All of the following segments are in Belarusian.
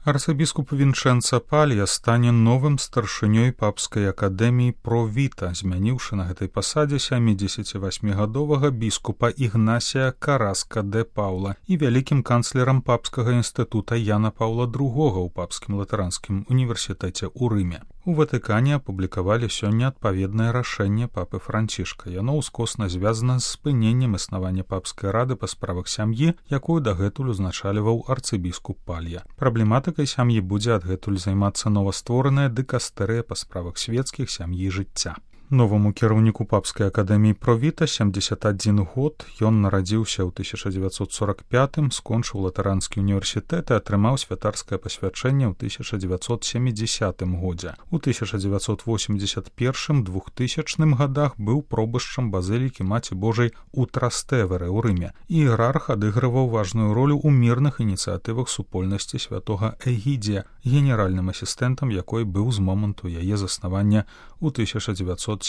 Арцыбіскуп Вінчэнца Палья стане новым старшынёй папскай акадэміі Про-Віта, змяніўшы на гэтай пасадзе 78-гадовага біскупа Ігнасія Караска де Паўла і вялікім канцлерам папскага інстытута Яна Паўла II ў папскім латаранскім універсітэце ў Рыме. У Ватыкане апублікавалі сёння адпаведнае рашэнне папы Францішка. Яно ўскосна звязана з спыненнем існавання папскай рады па справах сям'і, якую дагэтуль узначальваў арцыбіскуп Палья. Праблематыкай сям'і будзе адгэтуль займацца новаствораная дыкастэрыя па справах свецкіх, сям'і, жыцця. Новаму кіраўніку папскай акадэміі Про-Віта 71 год, ён нарадзіўся ў 1945, скончыў латаранскі універсітэт і атрымаў святарскае пасвячэнне ў 1970 годзе. У 1981-2000 годах быў пробышчам базылікі Маці Божай у Трастэверы ў Рыме. Іерарх адыгрываў важную ролю ў мірных ініцыятывах супольнасці святога Эгідзія, генеральным асістэнтам якой быў з моманту яе заснавання ў 1970-х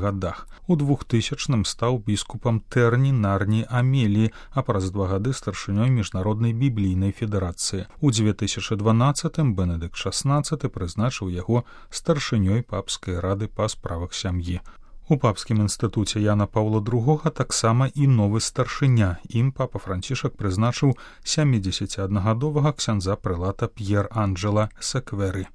годах. У 2000-м стаў біскупам Тэрні, Нарні, Амеліі, а праз 2 гады старшынёй Міжнароднай біблійнай федэрацыі. У 2012-м Бенедыкт XVI прызначыў яго старшынёй папскай рады па справах сям'і. У папскім інстытуце Яна Паўла II таксама і новы старшыня. Ім папа Францішак прызначыў 71-гадовага ксяндза прэлата П'ер Анджэла Секверы.